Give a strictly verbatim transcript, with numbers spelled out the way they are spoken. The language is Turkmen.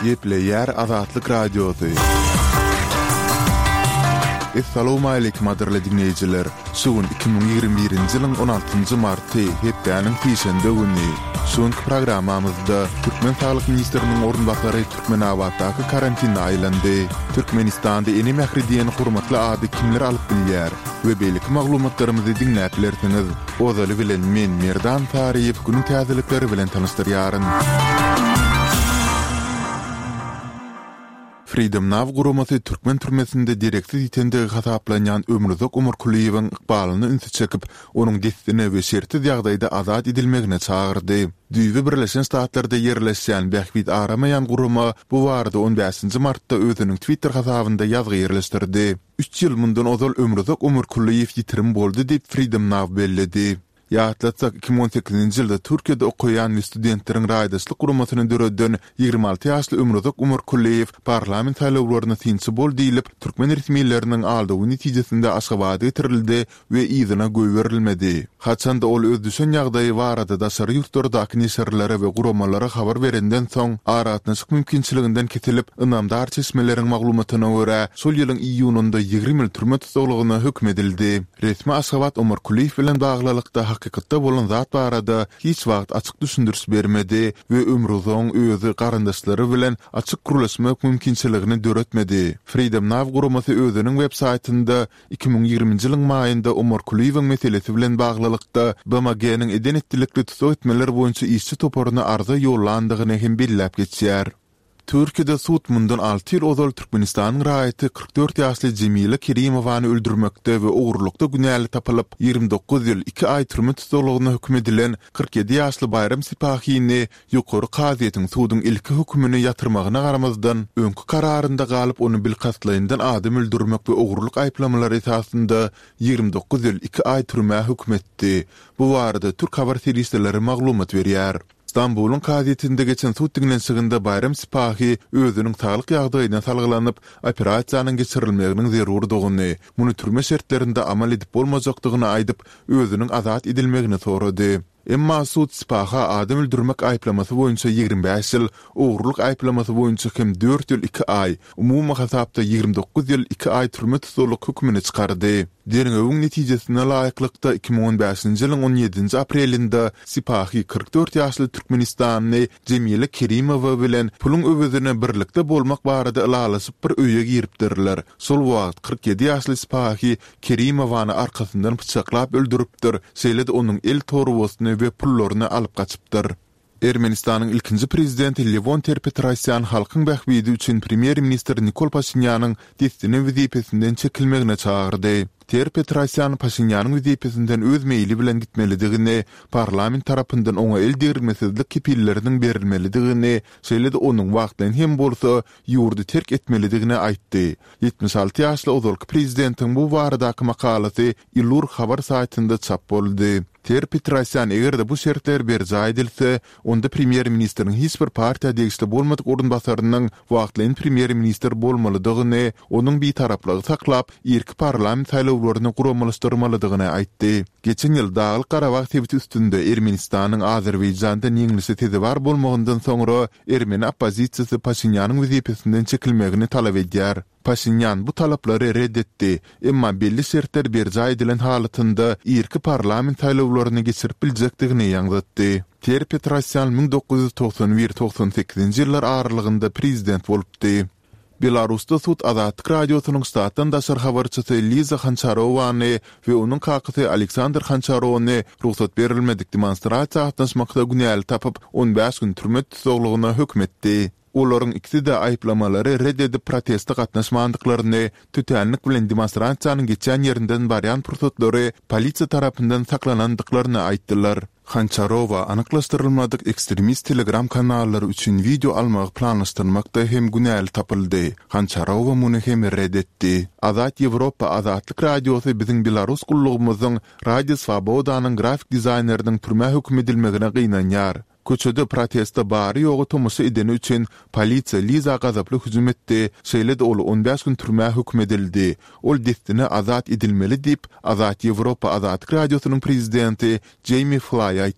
Gepleýär Azatlyk Radiosy. Essalawmaleýkim gadyrly diňleýjiler! Şu gün iki müň ýigrimi birinji ýylyň on altynjy marty, hepdäniň sişenbe güni. Şu günki programmamyzda türkmen saglyk ministriniň orunbasary Türkmenabatdaky karantinde aýlandy. Türkmenistanda Ene mähri diýen hormatly ady kimler alyp bilýär? We beýleki maglumatlarymyzy diňläp bilersiňiz. Ozaly bilen men Merdan Saryýew günüň täzelikleri bilen tanyşdyrýaryn. Freedom Now guramasy türkmen türmesinde dereksiz ýitendigi hasaplanýan Ömruzak Omarkulyýewiň ykbalyna ünsi çekip, onuň dessine we şertsiz ýagdaýda azat edilmegine çagyrdy. Düýbi Birleşen Ştatlarda ýerleşýän Bähbit aramaýan gurama bu barada on bäşinji martda özüniň Twitter hasabynda ýazgy ýerleşdirdi. Üç ýyl mundan ozal Ömruzak Omarkulyýew ýitirim boldy diýip Freedom Now belledi. Ýatlatsak, iki müň on sekizinji ýylda Türkiýede okaýan we studentleriň raýdaşlyk guramasyny döreden ýigrimi alty ýaşly Ömruzak Omarkulyýew parlament saýlawlaryna synçy bol diýlip, türkmen resmileriniň aldawy netijesinde Aşgabada getirildi we yzyna goýberilmedi. Haçanda ol öz düşen ýagdaýy barada daşary ýurtlardaky neşirlere we guramalara habar berenden soň, aragatnaşyk mümkinçiliginden kesilip, ynamdar çeşmeleriň maglumatyna görä, şol ýylyň iýunynda ýigrimi ýyl türme tussaglygyna höküm edildi. Resmi Aşgabat Omar Kulyýew bilen baglylykda hakykatda bolan zat barada hiç wagt açyk düşündiriş bermedi we Ömrüzoň özi garyndaşlary bilen açyk gürleşmek mümkinçiligini döretmedi. Freedom Now guramasy özüniň web saýtynda iki müň ýigriminji ýylyň maýynda Omar Kulyýewiň meselesi bilen baglylykda B M G-niň eden-etdilikli tussag etmeler boýunça işçi toparyna arza ýollandygyny hem belläp geçýär. Türkiýede sud mundan alty ýyl ozal Türkmenistanyň raýaty kyrk dört ýaşly Jemile Kerimowany öldürmekde we ogurlykda günäli tapylyp, ýigrimi dokuz ýyl iki aý türme tussaglygyna höküm edilen kyrk ýedi ýaşly Baýram Sipahini ýokary kazyýetiň suduň ilki hökümini ýatyrmagyna garamazdan, öňki kararynda galyp ony bilkastlaýyndan adam öldürmek we ogurlyk aýyplamalary esasynda ýigrimi dokuz ýyl iki aý türmä höküm etdi. Bu barada türk habar serişdeleri maglumat berýär. Stambulyň kazyýetinde geçen sud diňlenişiginde Baýram Sipahi özüniň saglyk ýagdaýyna salgylanyp, operasiýanyň geçirilmeginiň zerurdygyny, muny türme şertlerinde amal edip bolmajakdygyny aýdyp, özüniň azat edilmegini sorady. Emma sud Sipaha adam öldürmek aýyplamasy boýunça ýigrimi bäş ýyl, ogurlyk aýyplamasy boýunça hem dört ýyl iki aý, umumy hasapda ýigrimi dokuz ýyl iki aý türme tussaglyk hökümini çykardy. Derňewiň netijesine laýyklykda, iki müň on bäşinji ýylyň on ýedinji aprelinde Sipahi kyrk dört ýaşly türkmenistanly Jemile Kerimowa bilen puluň öwezine birlikde bolmak barada ylalaşyp bir öýe giripdirler. Şol wagt kyrk ýedi ýaşly Sipahi Kerimowany arkasyndan pyçaklap öldüripdir, şeýle-de onuň el torbasyny we pullaryny alyp gaçypdyr. Ermenistanyň ilkinji prezidenti Lewon Ter-Petrosýan halkyň bähbidi üçin premýer-ministr Nikol Paşinýanyň dessine wezipesinden çekilmegine çagyrdy. Ter-Petrosýan Paşinýanyň wezipesinden öz meýli bilen gitmelidigini, parlament tarapyndan oňa el degirmesizlik kepilleriniň berilmelidigini, şeýle-de onuň wagtlaýyn hem bolsa ýurdy terk etmelidigini aýtdy. Ýetmiş alty ýaşly ozalky prezidentiň bu baradaky makalasy Ilur habar saýtynda çap boldy. Ter-Petrosýan eger-de bu şertler berjaý edilse, onda premýer-ministriň hiç bir partiýa degişli bolmadyk orunbasarynyň wagtlaýyn premýer-ministr bolmalydygyny, onuň bitaraplygy saklap, irki parlament saýlawlaryny guramalaşdyrmalydygyny aýtdy. Geçen ýyl Daglyk-Garabag sebiti üstünde Ermenistanyň Azerbaýjandan ýeňlişe sezewar bolmagyndan soňra ermeni oppozisiýasy Paşinýanyň wezipesinden çekilmegini talap edýär. Paşinýan bu talaplary ret etdi, emma belli şertler berjaý edilen halatynda irki parlament saýlawlaryny geçirip biljekdigini ýaňzytdy. Ter-Petrosýan müň dokuz ýüz togsan bir togsan sekizinji ýyllar aralygynda prezident bolupdy. Belarusda sud Azatlyk Radiosynyň ştatdan daşary habarçysy Liza Hançarowany we onuň kakasy Aleksandr Hançarony rugsat berilmedik demonstrasiýa gatnaşmakda günäli tapyp, on bäş gün türme tussaglygyna höküm etdi. Olaryň ikisi-de aýyplamalary ret edip proteste gatnaşmandyklaryny, tötänlik bilen demonstrasiýanyň geçýän ýerinden barýan pursatlary polisiýa tarapyndan saklanandyklaryny aýtdylar. Hançarowa anyklaşdyrylmadyk ekstremist telegram kanallary üçin wideo almagy planlaşdyrmakda hem günäli tapyldy. Hançarowa muny hem ret etdi. Azat Ýewropa Azatlyk Radiosy biziň belarus gullugymyzyň Radio Swobodanyň grafik dizaýneriniň türmä höküm edilmegine gynanýar. Köçede proteste bary-ýogy tomaşa edeni üçin polisiýa Liza gazaply hüjüm etdi, şeýle-de ol on bäş gün türmä höküm edildi. Ol dessine azat edilmeli diýip, Azat Ýewropa Azatlyk Radiosynyň prezidenti Jeými Flaý aýtdy.